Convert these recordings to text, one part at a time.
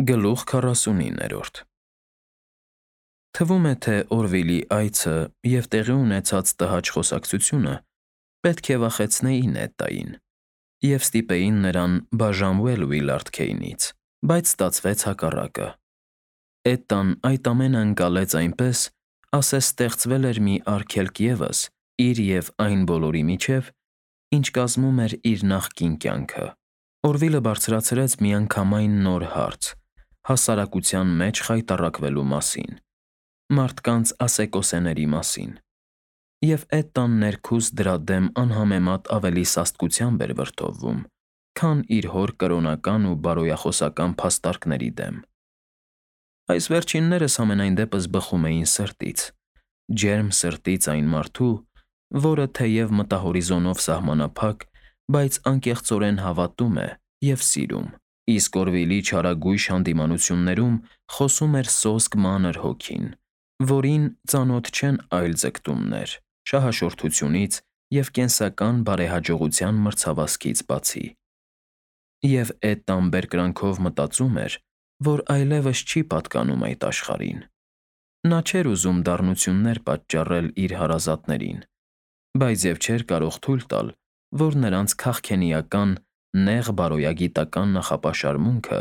Գլուխ 49-րդ Թվում է, թե Օրվիլի այցը և տեղի ունեցած տհաճ խոսակցությունը պետք է վախեցնեին Էդդային և ստիպեին նրան բաժանվել Ուիլարդ Քեյնից, բայց ստացվեց հակառակը։ Էդդան այդ ամենը ընկալեց այնպես, ասես ստեղծվել էր մի արգելք ևս իր և այն բոլորի միջև, ինչ կազմում էր իր նախկին կյանքը։ Օրվիլը բարձրացրեց միանգամայն նոր հարց՝ հասարակության մեջ խայտառակվելու մասին, մարդկանց ասեկոսեների մասին, և Էդդան ներքուստ դրա դեմ անհամեմատ ավելի սաստկությամբ էր վրդովվում, քան իր հոր կրոնական ու բարոյախոսական փաստարկների դեմ։ Այս վերջիններս համենայն դեպս բխում էին սրտից, ջերմ սրտից այն մարդու, որը թեև մտահորիզոնով սահմանափակ, բայց անկեղծորեն հավատում է և սիրում, իսկ Օրվիլի չարագույժ հանդիմանություններում խոսում էր սոսկ մանր հոգին, որին ծանոթ չեն այլ ձգտումներ՝ շահաշորթությունից և կենսական բարեհաջողության մրցավազքից բացի։ Եվ Էդդան բերկրանքով մտածում էր, որ այլևս չի պատկանում այդ աշխարհին։ Նա չէր ուզում դառնություններ պատճառել իր հարազատներին, բայց և չէր կարող թույլ տալ, որ նրանց քաղքենիական, նեղ բարոյագիտական նախապաշարմունքը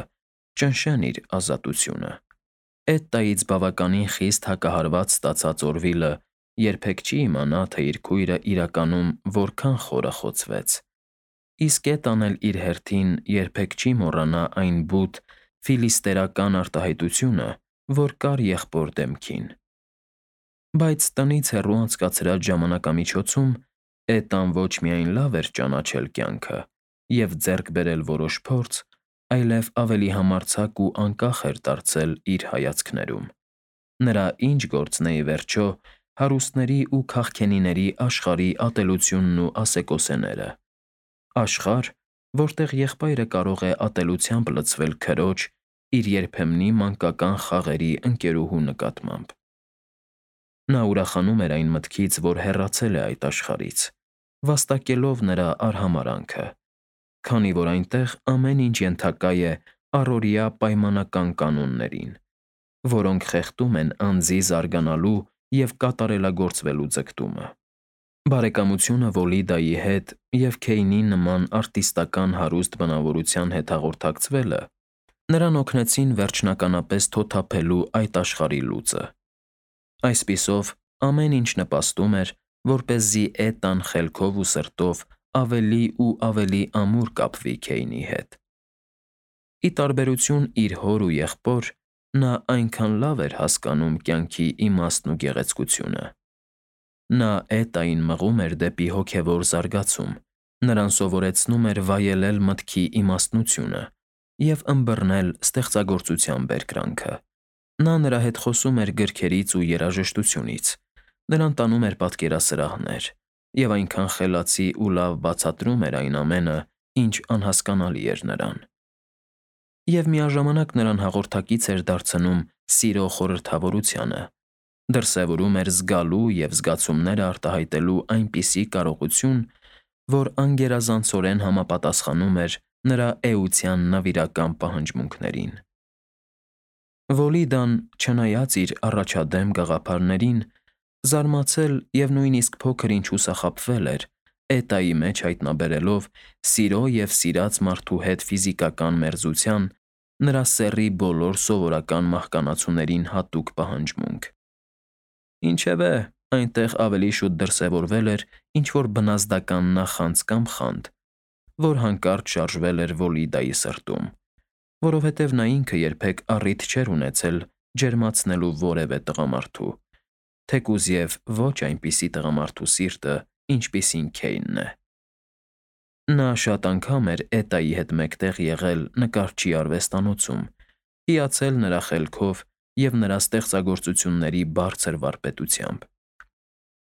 ճնշեն իր ազատությունը։ Էդդայից բավականին խիստ հակահարված ստացած Օրվիլը երբեք չի իմանա, թե իր քույրը իրականում որքան խորախոցվեց, իսկ Էդդան էլ իր հերթին երբեք չի մոռանա այն բութ ֆիլիստերական արտահայտությունը, որ կար եղբոր դեմքին։ Բայց տնից հեռու անցկացրած ժամանակամիջոցում Էդդան ոչ միայն լավ էր ճանաչել կյանքը և ձեռք բերել որոշ փորձ, այլև ավելի համարձակ ու անկախ էր դարձել իր հայացքներում։ Նրա ինչ գործն է, ի վերջո, հարուստների ու քաղքենիների աշխարհի ատելությունն ու ասեկոսեները։ Աշխարհ, որտեղ եղբայրը կարող է ատելությամբ լցվել քրոջ, իր երբեմնի մանկական խաղերի ընկերուհու նկատմամբ։ Նա ուրախանում էր այն մտքից, որ հեռացել է այդ աշխարհից, վաստակելով նրա արհամարհանքը, քանի որ այնտեղ ամեն ինչ ենթակա է առօրյա պայմանական կանոններին, որոնք խեղդում են անձի զարգանալու և կատարելագործվելու ձգտումը։ Բարեկամությունը Վոլիդայի հետ և Քեյնի նման արտիստական հարուստ բնավորության հետ հաղորդակցվելը նրան օգնեցին վերջնականապես թոթափելու այդ աշխարհի լուծը։ Այսպիսով, ամեն ինչ նպաստում էր, որպեսզի Էդդան խելքով ու սրտով ավելի ու ավելի ամուր կապվի Քեյնի հետ։ Ի տարբերություն իր հոր ու եղբոր, նա այնքան լավ էր հասկանում կյանքի իմաստն ու գեղեցկությունը։ Նա Էդդային մղում էր դեպի հոգևոր զարգացում, նրան սովորեցնում էր վայելել մտքի իմաստնությունը և ըմբռնել ստեղծագործության բերկրանքը։ Նա նրա հետ խոսում էր գրքերից ու երաժշտությունից, նրան տանում էր պատկերասրահներ և այնքան խելացի ու լավ բացատրում էր այն ամենը, ինչ անհասկանալի էր նրան։ Եվ միաժամանակ նրան հաղորդակից էր դարձնում սիրո խորհրդավորությանը, դրսևորում էր զգալու և զգացումները արտահայտելու այնպիսի կարողություն, որ անգերազանցորեն համապատասխանում էր նրա էության նվիրական պահանջմունքներին։ Վոլիդան, չնայած իր առաջադեմ գաղափարներին, զարմացել և նույնիսկ փոքր ինչ հուսախաբվել էր Էդդայի մեջ հայտնաբերելով սիրո և սիրած մարդու հետ ֆիզիկական մերձության նրա սեռի բոլոր սովորական մահկանացուներին հատուկ պահանջմունք։ Ինչևէ, այնտեղ ավելի շուտ դրսևորվել էր ինչ֊որ բնազդական նախանձ կամ խանդ, որ հանկարծ շարժվել էր Վոլիդայի սրտում, որովհետև նա ինքը երբեք առիթ չէր ունեցել ջերմացնելու որևէ տղամարդու, թեկուզ և ոչ այնպիսի տղամարդու սիրտը, ինչպիսին Քեյնն է։ Նա շատ անգամ էր Էդդայի հետ մեկտեղ եղել նկարչի արվեստանոցում, հիացել նրա խելքով և նրա ստեղծագործությունների բարձր վարպետությամբ։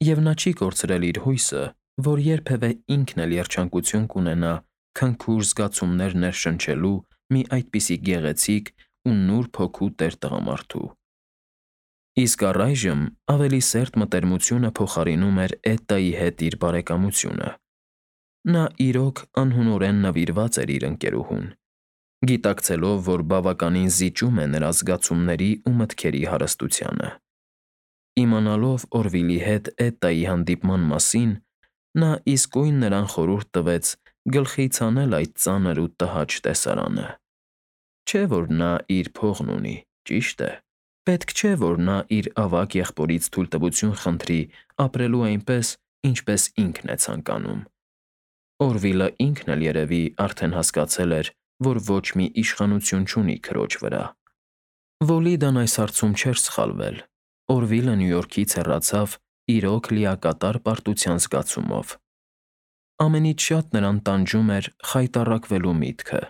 Եվ նա չի կորցրել իր հույսը, որ երբևէ ինքն էլ երջանկություն կունենա քնքուշ զգացումներ ներշնչելու մի այդպիսի գեղեցիկ ու նուրբ հոգու տեր տղամարդու։ Իսկ առայժմ ավելի սերտ մտերմությունը փոխարինում էր Էդդայի հետ իր բարեկամությունը։ Նա իրոք անհունորեն նվիրված էր իր ընկերուհուն գիտակցելով, որ բավականին զիջում է նրա զգացումների ու մտքերի հարստությանը։ Իմանալով Օրվիլի հետ Էտայի հանդիպման մասին, նա իսկույն նրան խորհուրդ տվեց գլխից հանել այդ ծանր ու տհաճ տեսարանը։ Չէ՞ որ նա իր փողն ունի, ճիշտ է։ Պետք չէ, որ նա իր ավագ եղբորից թույլտվություն խնդրի ապրելու այնպես, ինչպես ինքն է ցանկանում։ Օրվիլը ինքն էլ երևի արդեն հասկացել էր, որ ոչ մի իշխանություն չունի քրոջ վրա։ Վոլիդան այս հարցում չէր սխալվել։ Օրվիլը Նյու Յորքից հեռացավ իրոք լիակատար պարտության զգացումով։ Ամենից շատ նրան տանջում էր խայտառակվելու միտքը։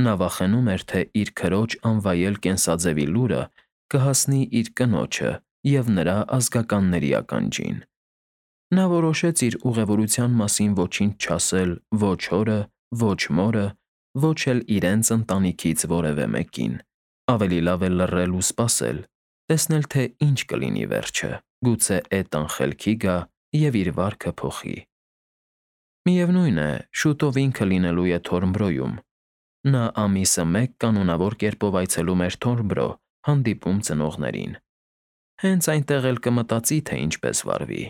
Նա վախենում էր, թե իր քրոջ անվայել կենսաձևի լուրը կհասնի իր կնոջը և նրա ազգականների ականջին։ Նա որոշեց իր ուղևորության մասին ոչինչ չասել ոչ հորը, ոչ մորը, ոչ էլ իրենց ընտանիքից որևէ մեկին։ Ավելի լավ է լռել ու սպասել, տեսնել, թե ինչ կլինի վերջը, գուցե Էտան խելքի գա և իր վարքը փոխի։ Միևնույն է, շուտով ինքը լինելու է Թորնբրոյում։ Նա ամիսը մեկ կանոնավոր կերպով այցելում էր Թորնբրո, հանդիպում ծնողներին։ Հենց այնտեղ էլ կմտածի, թե ինչպես վարվի։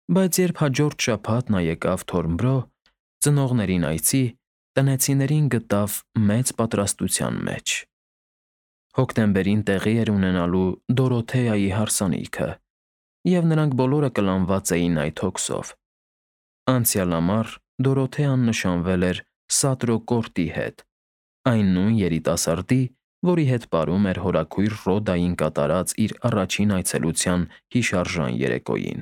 Բայց երբ հաջորդ շաբաթ նա եկավ Թորնբրո, ծնողներին այցի, տնեցիներին գտավ մեծ պատրաստության մեջ։ Հոկտեմբերին տեղի էր ունենալու Դորոթեայի հարսանիքը, և նրանք բոլորը կլանված էին այդ հոգսով։ Անցյալ ամառ Դորոթեան նշանվել էր Սատրոկորտի հետ, այն նույն երիտասարդի, որի հետ պարում էր հորաքույր Ռոդային կատարած իր առաջին այցելության հիշարժան երեկոյին։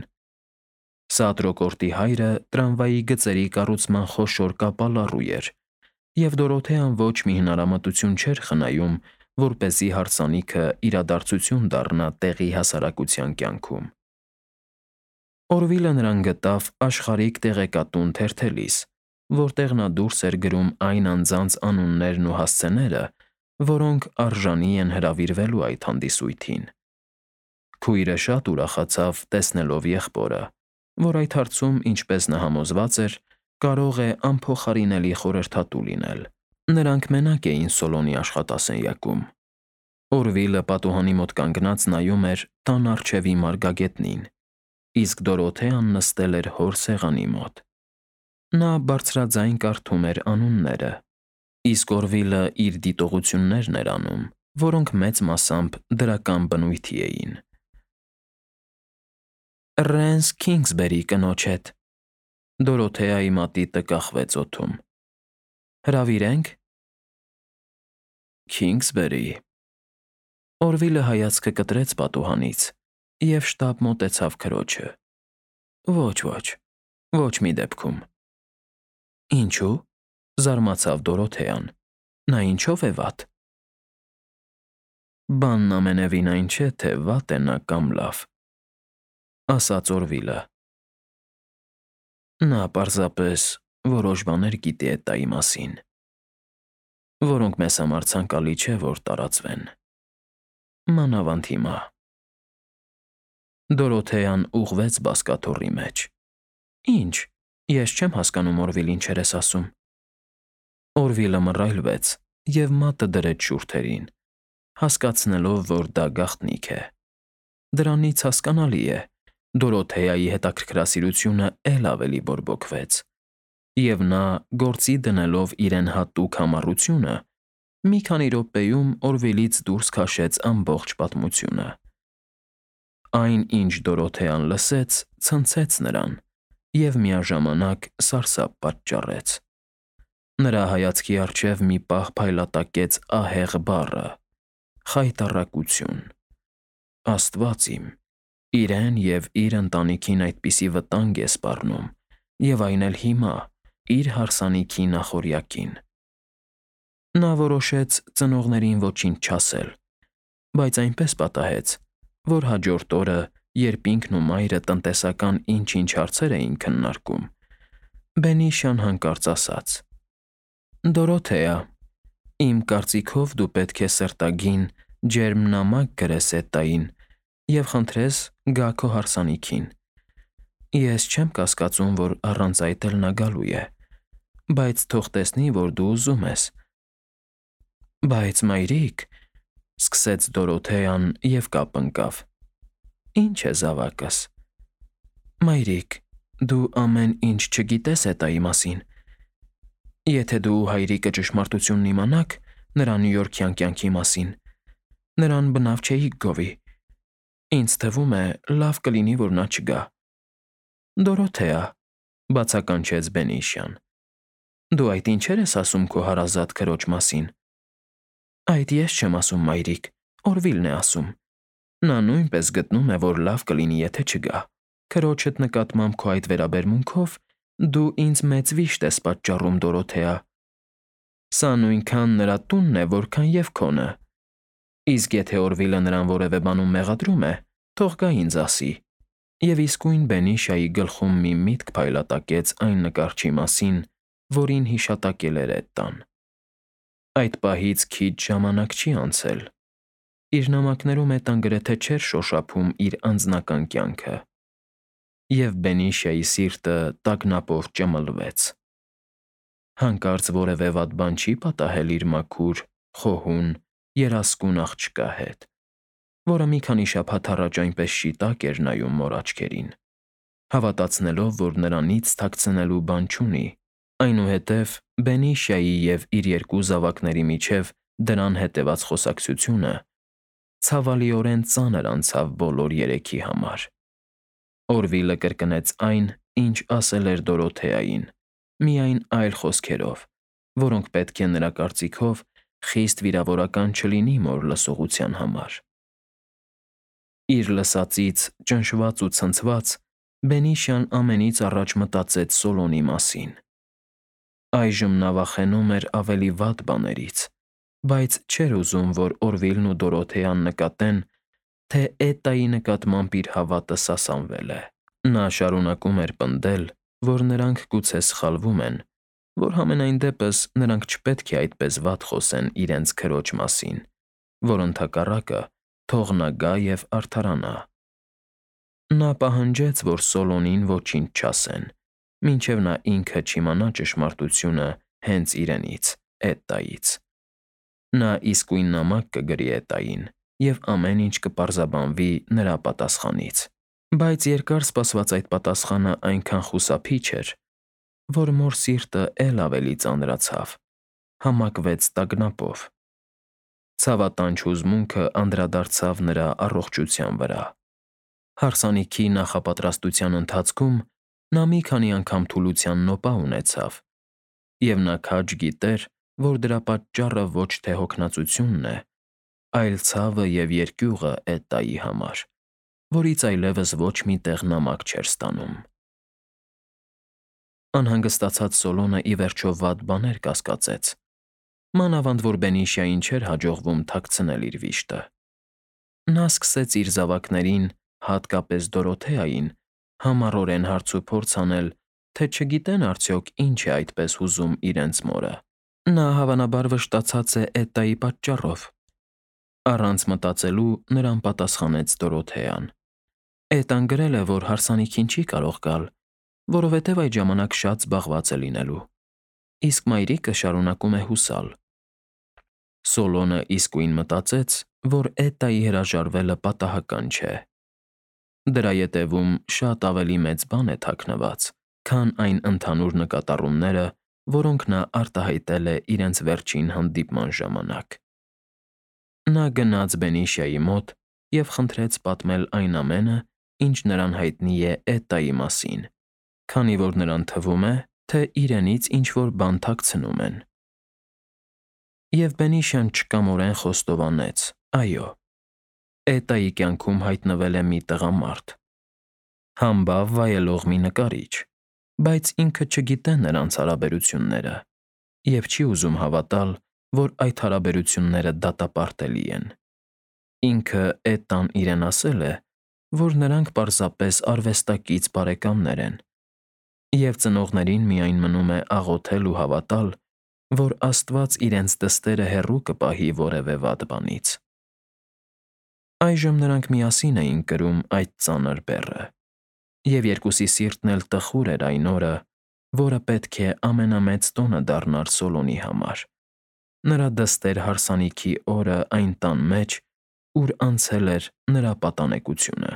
Սատրոկորտի հայրը տրամվայի գծերի կառուցման խոշոր կապալառու էր, և Դորոթեան ոչ մի հնարամտություն չէր խնայում, որպեսզի հարսանիքը իրադարձություն դառնա տեղի հասարակության կյանքում։ Օրվիլը նրան գտավ աշխարհիկ տեղեկատուն թերթելիս, որտեղ նա դուրս էր գրում այն անձանց անուններն ու հասցեները, որոնք արժանի են հրավիրվելու այդ հանդիսույթին։ Քույրը շատ ուրախացավ տեսնելով եղբորը, որ այդ հարցում, ինչպես նա համոզված էր, կարող է անփոխարինելի խորհրդատու լինել։ Նրանք մենակ էին Սոլոնի աշխատասենյակում։ Օրվիլը պատուհանի մոտ կանգնած նայում էր տան առջևի մարգագետնին, իսկ Դորոթեան նստել էր հոր սեղանի մոտ։ Նա բարձրաձայն կարդում էր անունները, իսկ Օրվիլը իր դիտողություններն էր անում, որոնք մեծ մասամբ դրական բնույթի էին։ Ռենս Քինգսբերի կնոջ հետ։ Դորոթեայի մատիտը կախվեց օդում։ Հրավիրենք։ Քինգսբերի։ Օրվիլը հայացքը կտրեց պատուհանից և շտապ մոտեցավ քրոջը։ Ոչ, ոչ մի դեպքում։ Ինչու՞։ Զարմացավ Դորոթեան։ Նա ինչով է վատ։ Բանն ամենևին այն չէ, թե վատ է նա կամ լավ, ասաց Օրվիլը։ Նա պարզապես որոշ բաներ գիտի Էտայի մասին, որոնք մեզ համար ցանկալի չէ, որ տարածվեն։ Մանավանդ հիմա։ Դորոթեան ուղղվեց բազկաթոռի մեջ։ Ինչ, ես չեմ հասկանում, Օրվիլ, ինչեր ես ասում։ Օրվիլը մռայլվեց և մատը դրեց շուրթերին, հասկացնելով, որ դա գաղտնիք է։ Դրանից հասկանալի է, Դորոթեայի հետաքրքրասիրությունը էլ ավելի բորբոքվեց, և նա, գործի դնելով իրեն հատուկ համառությունը, մի քանի րոպեում Օրվիլից դուրս քաշեց ամբողջ պատմությունը։ Այն, ինչ Դորոթեան լսեց, ցնցեց նրան և միաժամանակ սարսափ պատճառեց։ Նրա հայացքի առջև մի պահ փայլատակեց ահեղ բառը՝ խայտառակություն։ Աստված իմ, իրեն և իր ընտանիքին այդպիսի վտանգ է սպառնում, և այն էլ հիմա, իր հարսանիքի նախօրյակին։ Նա որոշեց ծնողներին ոչինչ չասել, բայց այնպես պատահեց, որ հաջորդ օրը, երբ ինքն ու մայրը տնտեսական ինչ-ինչ հարցեր էին քննարկում, Բենիշան հանկարծ ասաց. Դորոթեա, իմ կարծիքով դու պետք է սրտագին, ջերմ նամակ գրես Էտային և խնդրես գա քո հարսանիքին։ Ես չեմ կասկածում, որ առանց այդ էլ նա գալու է, բայց թող տեսնի, որ դու ուզում ես, Բայց մայրիկ, սկսեց Դորոթեան և կապ ընկավ։ Ինչ է զավակս։ Մայրիկ, դու ամեն ինչ չգիտես էտայի մասին։ Եթե դու հայրիկը ճշմարտությունն իմանաք նրա նյույորքյան կյանքի մասին, նրան բնավ չէիք գովի։ Ինձ թվում է, լավ կլինի, որ նա չգա։ Դորոթեա, բացականչեց Բենիշյան, դու այդ ինչեր ես ասում քո հարազատ քրոջ մասին։ Այդ ես չեմ ասում, մայրիկ, Օրվիլն է ասում։ Նա նույնպես գտնում է, որ լավ կլինի, եթե չգա։ Քրոջդ նկատմամբ քո այդ վերաբերմունքով դու ինձ մեծ վիշտ ես պատճառում, Դորոթեա։ Սա նույնքան նրա տունն է, որքան և քոնը։ Իսկ եթե Օրվիլը նրան որևէ բանում մեղադրում է, թող գա ինձ ասի։ Եվ իսկույն Բենիշայի գլխում մի միտք փայլատակեց այն նկարչի մասին, որին հիշատակել էր էդ տան։ Այդ պահից քիչ ժամանակ չի անցել։ Իր նամակներում Էտան գրեթե չէր շոշափում իր անձնական կյանքը։ Եվ Բենիշայի սիրտը տագնապով ճմլվեց։ Հանկարծ որևէ վատ բան չի պատահել իր մաքուր, խոհուն, երասկուն աղջկա հետ, որը մի քանի շաբաթ առաջ այնպես շիտակ էր նայում մոր աչքերին, հավատացնելով, որ նրանից թաքցնելու բան չունի, այնուհետև Բենիշայի և իր երկու զավակների միջև դրան հետևած խոսակցությունը ցավալիորեն ծանր անցավ բոլոր երեքի համար։ Օրվիլը կրկնեց այն, ինչ ասել էր Դորոթեային, միայն այլ խոսքերով, որոնք պետք է նրա կարծիքով խիստ վիրավորական չլինի մոր լսողության համար։ Իր լսածից ճնշված ու ցնցված Բենիշյան ամենից առաջ մտածեց Սոլոնի մասին։ Այժմ նա վախենում էր ավելի վատ բաներից, բայց չէր ուզում, որ Օրվիլն ու Դորոթեան նկատեն, թե Էտայի նկատմամբ իր հավատը սասանվել է։ Նա շարունակում էր պնդել, որ նրանք գուցե սխալվում են, որ համենայն դեպս նրանք չպետք է այդպես վատ խոսեն իրենց քրոջ մասին, որ ընդհակառակը թող նա գա և արդարանա։ Նա պահանջեց, որ Սոլոնին ոչինչ չասեն, մինչև նա ինքը չիմանա ճշմարտությունը հենց իրենից, Էտայից։ Նա իսկույն նամակ կգրի Էտային, և ամեն ինչ կպարզաբանվի նրա պատասխանից։ Բայց երկար սպասված այդ պատասխանը այնքան խուսափիչ էր, որ մոր սիրտը էլ ավելի ծանրացավ, համակվեց տագնապով։ Ցավատանչ հուզմունքը անդրադարձավ նրա առողջության վրա։ Հարսանիքի նախապատրաստության ընթացքում նա մի քանի անգամ թուլության նոպա ունեցավ, և նա քաջ գիտեր, որ դրա պատճառը ոչ թե հոգնածությունն է, այլ ցավը և երկյուղը Էտայի համար, որից այլևս ոչ մի տեղ նամակ չէր ստանում։ Անհանգստացած Սոլոնը ի վերջո վատ բաներ կասկածեց, մանավանդ որ Բենիշային չէր հաջողվում թաքցնել իր վիշտը։ Նա սկսեց իր զավակներին, հատկապես Դորոթեային, համառորեն հարց ու փորձ անել, թե չգիտեն արդյոք ինչ է այդպես հուզում իրենց մորը։ Նա հավանաբար վշտացած է Էտայի պատճառով։ Առանց մտածելու նրան պատասխանեց Դորոթեան։ Էտան գրել է, որ հարսանիքին չի կարող գալ, որովհետև այդ ժամանակ շատ զբաղված է լինելու, իսկ մայրիկը շարունակում է հուսալ։ Սոլոնը իսկույն մտածեց, որ Էտայի հրաժարվելը պատահական չէ։ Դրա ետևում շատ ավելի մեծ բան է թաքնված, քան այն ընդհանուր նկատառումները, որոնք նա արտահայտել է իրենց վերջին հանդիպման ժամանակ։ Նա գնաց Բենիշայի մոտ և խնդրեց պատմել այն ամենը, ինչ նրան հայտնի է Էտայի մասին, քանի որ նրան թվում է, թե իրենից ինչ-որ բան թաքցնում են։ Եվ Բենիշյան չկամորեն խոստովանեց. այո, Էտայի կյանքում հայտնվել է մի տղամարդ, համբավ վայելող մի նկարիչ, բայց ինքը չգիտե նրանց հարաբերությունները և չի ուզում հավատալ, որ այդ հարաբերությունները դատապարտելի են։ Ինքը Էտան իրեն ասել է, որ նրանք պարզապես արվեստակից բարեկամներ են, և ծնողներին միայն մնում է աղոթել ու հավատալ, որ Աստված իրենց դստերը հեռու կպահի որևէ վատ բանից։ Այժմ նրանք միասին էին կրում այդ ծանր բեռը, և երկուսի սիրտն էլ տխուր էր այն օրը, որը պետք է ամենամեծ տոնը դառնար Սոլոնի համար, նրա դստեր հարսանիքի օրը այն տան մեջ, ուր անցել էր նրա պատանեկությունը։